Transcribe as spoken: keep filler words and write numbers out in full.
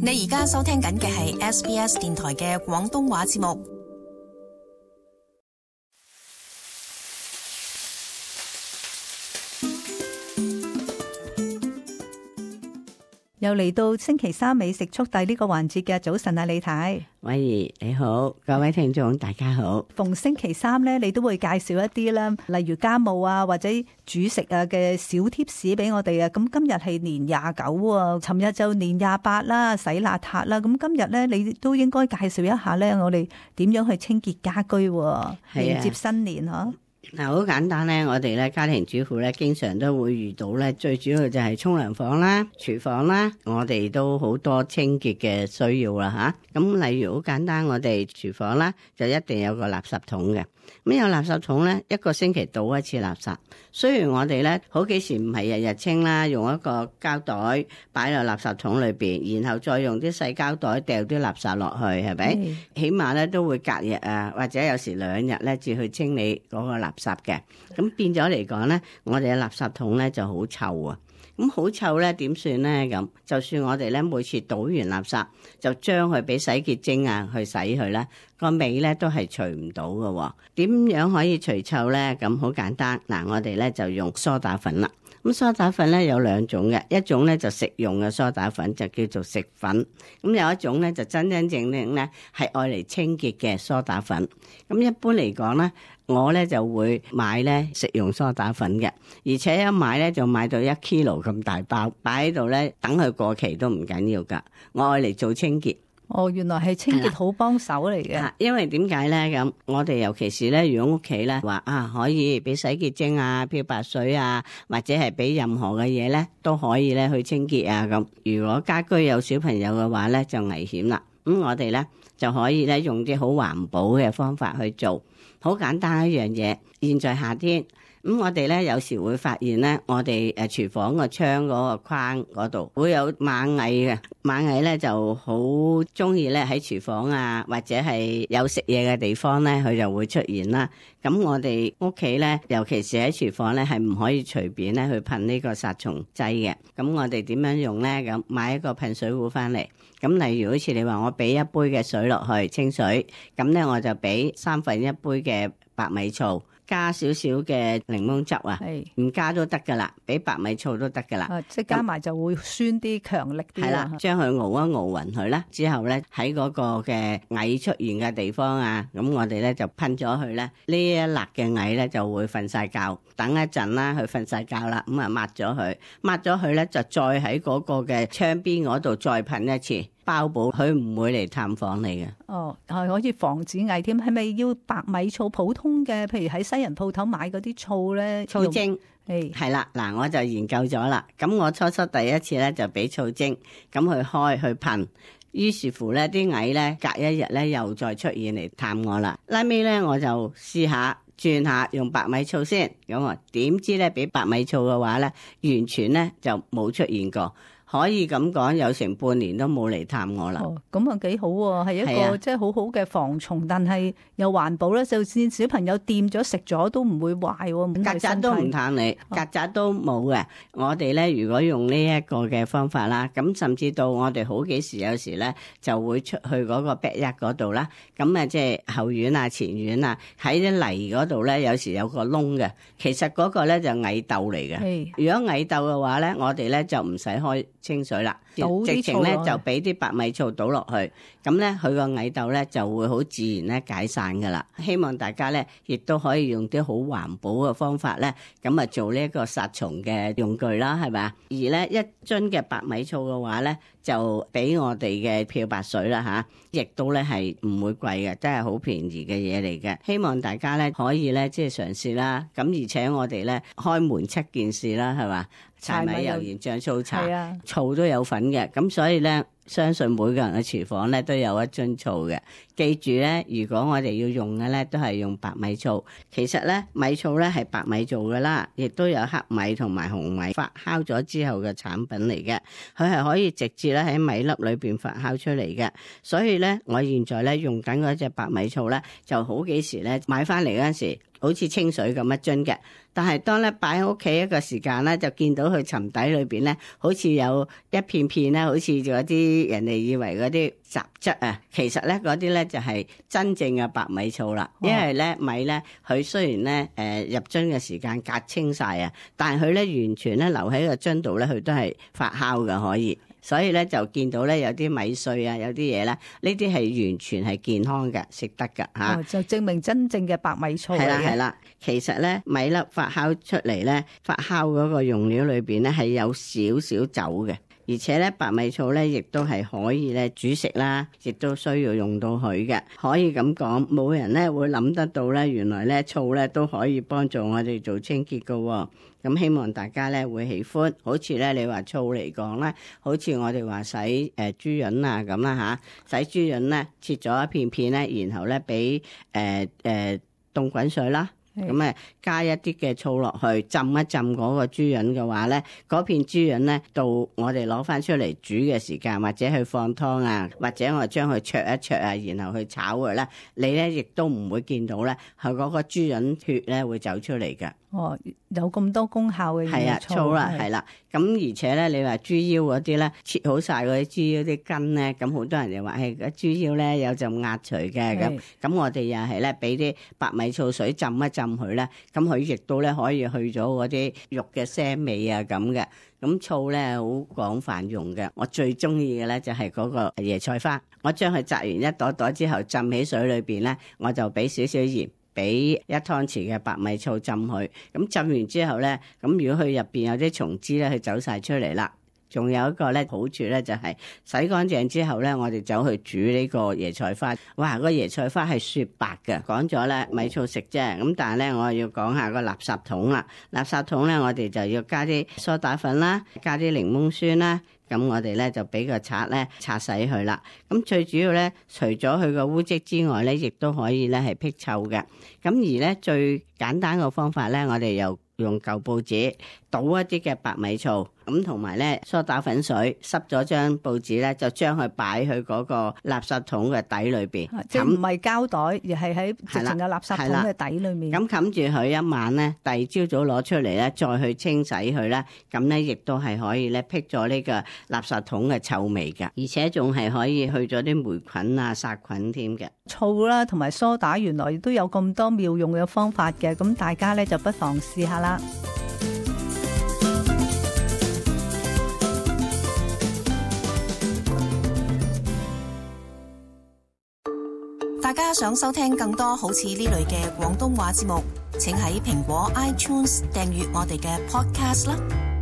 你而家收聽緊嘅係 S B S 電台嘅廣東話節目。又嚟到星期三美食速遞呢個環節嘅早晨啊，李太，偉兒你好，各位聽眾大家好。逢星期三咧，你都會介紹一啲啦，例如家務啊或者煮食啊嘅小貼士俾我哋啊。咁今日係年廿九啊，尋日就年廿八啦，洗邋遢啦。咁今日咧，你都應該介紹一下咧，我哋點樣去清潔家居，迎接新年嗬。嗱，好簡單咧，我哋咧家庭主婦咧，經常都會遇到咧，最主要就係沖涼房啦、廚房啦，我哋都好多清潔嘅需要啦吓。咁例如好簡單，我哋廚房啦，就一定有個垃圾桶嘅。咁有垃圾桶咧，一個星期倒一次垃圾。雖然我哋咧好幾時唔係日日清啦，用一個膠袋擺落垃圾桶裏邊，然後再用啲細膠袋掉啲垃圾落去，係咪？嗯、起碼咧都會隔日啊，或者有時兩日咧至去清理嗰個垃圾嘅。咁變咗嚟講咧，我哋嘅垃圾桶咧就好臭啊！咁好臭咧，點算咧？咁就算我哋咧每次倒完垃圾，就將佢俾洗潔精啊去洗佢咧，個尾咧都係除唔到嘅。點樣可以除臭咧？咁好簡單，嗱，我哋咧就用梳打粉啦。咁梳打粉咧有兩種嘅，一種咧就食用嘅梳打粉就叫做食粉，咁有一種咧就真真正正咧係愛嚟清潔嘅梳打粉。咁一般嚟講咧，我咧就會買咧食用梳打粉嘅，而且一買咧就買到一 kilo 咁大包，擺喺度咧等佢過期都唔緊要噶。我愛嚟做清潔。哦，原來係清潔好幫手嚟嘅。因為點解咧咁？我哋尤其是咧，如果屋企咧話啊，可以俾洗潔精啊、漂白水啊，或者係俾任何嘅嘢咧，都可以咧去清潔啊咁。如果家居有小朋友嘅話咧，就危險啦。咁我哋咧就可以咧用啲好環保嘅方法去做，好簡單一樣嘢。現在夏天。咁我哋咧有時會發現咧，我哋誒廚房個窗嗰個框嗰度會有螞蟻嘅，螞蟻咧就好中意咧喺廚房啊，或者係有食嘢嘅地方咧，佢就會出現啦。咁我哋屋企咧，尤其是喺廚房咧，係唔可以隨便咧去噴呢個殺蟲劑嘅。咁我哋點樣用咧？咁買一個噴水壺翻嚟，咁例如好似你話我俾一杯嘅水落去清水，咁咧我就俾三分一杯嘅白米醋。加少少嘅檸檬汁啊，唔加都得噶啦，俾白米醋都得噶啦。啊，即係加埋就會酸啲、強力啲。係啦，將佢熬一熬勻佢啦，之後咧喺嗰個嘅蟻出現嘅地方啊，咁我哋咧就噴咗佢咧，呢一粒嘅蟻咧就會瞓晒覺，等一陣啦，佢瞓晒覺啦，咁啊抹咗佢，抹咗佢咧就再喺嗰個嘅窗邊嗰度再噴一次。包保佢唔會嚟探訪你嘅。哦，係可以防止蟻添。係咪要白米醋？普通嘅，譬如喺西人鋪頭買嗰啲醋咧，醋精係係啦。嗱，我就研究咗啦。咁我初初第一次咧就俾醋精，咁去開去噴，於是乎咧啲蟻咧隔一日咧又再出現嚟探我啦。拉尾咧我就試下轉下用白米醋先，咁啊點知咧俾白米醋嘅話咧，完全咧就冇出現過。可以咁講，有成半年都冇嚟探我啦。哦，咁啊幾好喎，係一個、啊、即係好好嘅防蟲，但係又環保咧。就算小朋友掂咗食咗都唔會壞喎。曱甴都唔探你，曱甴都冇嘅。我哋咧如果用呢一個嘅方法啦，咁甚至到我哋好幾時有時咧就會出去嗰個 backyard 嗰度啦。咁啊即係後院啊、前院啊，喺啲泥嗰度咧有時有個窿嘅。其實嗰個咧就蟻竇嚟嘅。如果蟻竇嘅話咧，我哋咧就唔使開清水啦，直情咧就俾啲白米醋倒落去，咁咧佢個蟻竇咧就會好自然咧解散噶啦。希望大家咧亦都可以用啲好環保嘅方法咧，咁啊做呢一個殺蟲嘅用具啦，係咪啊？而咧一樽嘅白米醋嘅話咧，就俾我哋嘅漂白水啦吓，亦都咧係唔會貴嘅，真係好便宜嘅嘢嚟嘅。希望大家咧可以咧即係嘗試啦。咁而且我哋咧開門七件事啦，係嘛？柴米油鹽醬醋茶，啊、醋都有份嘅，咁所以咧，相信每個人嘅廚房咧都有一樽醋嘅。記住咧，如果我哋要用嘅咧，都係用白米醋。其實咧，米醋咧係白米做嘅啦，亦都有黑米同埋紅米發酵咗之後嘅產品嚟嘅。佢係可以直接咧喺米粒裏邊發酵出嚟嘅。所以咧，我現在咧用緊嗰隻白米醋咧，就好幾時咧買翻嚟嗰陣時，好似清水咁一樽嘅。但係當咧擺喺屋企一個時間咧，就見到佢沉底裏邊咧，好似有一片片咧，好似嗰啲人哋以為嗰啲雜質啊，其實咧嗰啲咧就係真正嘅白米醋啦。因為咧米咧，佢雖然咧誒、呃、入樽嘅時間隔清晒啊，但係佢咧完全咧留喺個樽度咧，佢都係發酵嘅可以。所以咧就見到咧有啲米碎啊，有啲嘢咧，呢啲係完全係健康嘅，食得㗎嚇、哦。就證明真正嘅白米醋嚟嘅。係啦係啦，其實咧米粒發酵出嚟咧，發酵嗰個用料裏邊咧係有少少酒嘅。而且咧白米醋咧亦都係可以咧煮食啦，亦都需要用到佢嘅。可以咁講，冇人咧會諗得到咧，原來咧醋咧都可以幫助我哋做清潔㗎喎。咁希望大家咧會喜歡。好似咧你話醋嚟講咧，好似我哋話洗誒、呃、豬潤啊咁啦嚇，洗豬潤咧切咗一片片咧，然後咧俾誒誒凍滾水啦。咁啊，加一啲嘅醋落去，浸一浸嗰個豬潤嘅話咧，嗰片豬潤咧，到我哋攞翻出嚟煮嘅時間，或者去放湯啊，或者我將佢焯一焯啊，然後去炒佢咧，你咧亦都唔會見到咧，係嗰個豬潤血咧會走出嚟嘅。哦，有咁多功效嘅係啊，醋啦，係啦。咁而且咧，你話豬腰嗰啲咧，切好晒嗰啲豬腰啲筋咧，咁好多人就話係個豬腰咧有陣壓除嘅咁。咁我哋又係咧俾啲白米醋水浸一浸佢咧，咁佢亦都咧可以去咗嗰啲肉嘅腥味啊咁嘅。咁醋咧好廣泛用嘅，我最中意嘅咧就係嗰個椰菜花，我將佢摘完一朵朵之後浸喺水裏邊咧，我就俾少少鹽。俾一湯匙嘅白米醋浸佢，咁浸完之後咧，咁如果佢入邊有啲蟲枝咧，佢走晒出嚟啦。仲有一個咧好處咧，就係洗乾淨之後咧，我哋走去煮呢個椰菜花。哇，個椰菜花係雪白嘅。講咗咧米醋食啫，咁但係咧我要講下個垃圾桶啦。垃圾桶咧，我哋就要加啲梳打粉啦，加啲檸檬酸啦。咁我哋咧就俾個刷咧刷洗佢啦。咁最主要咧，除咗佢個污漬之外咧，亦都可以咧係辟臭嘅。咁而咧最簡單嘅方法咧，我哋又用舊報紙倒一啲嘅白米醋，咁同埋咧梳打粉水，濕咗張報紙咧，就將佢擺去嗰個垃圾桶嘅底裏邊。即係唔係膠袋，而係喺直情嘅垃圾桶嘅底裏面。咁冚住佢一晚咧，第二朝早攞出嚟咧，再去清洗佢咧，咁咧亦都係可以咧辟咗呢個垃圾桶嘅臭味㗎，而且仲係可以去咗啲霉菌啊、殺菌添嘅。醋啦，同埋梳打，原來都有咁多妙用嘅方法嘅，咁大家咧就不妨試下啦。大家想收聽更多好似呢類嘅廣東話節目，請喺蘋果 iTunes 訂閱我哋嘅 Podcast 啦。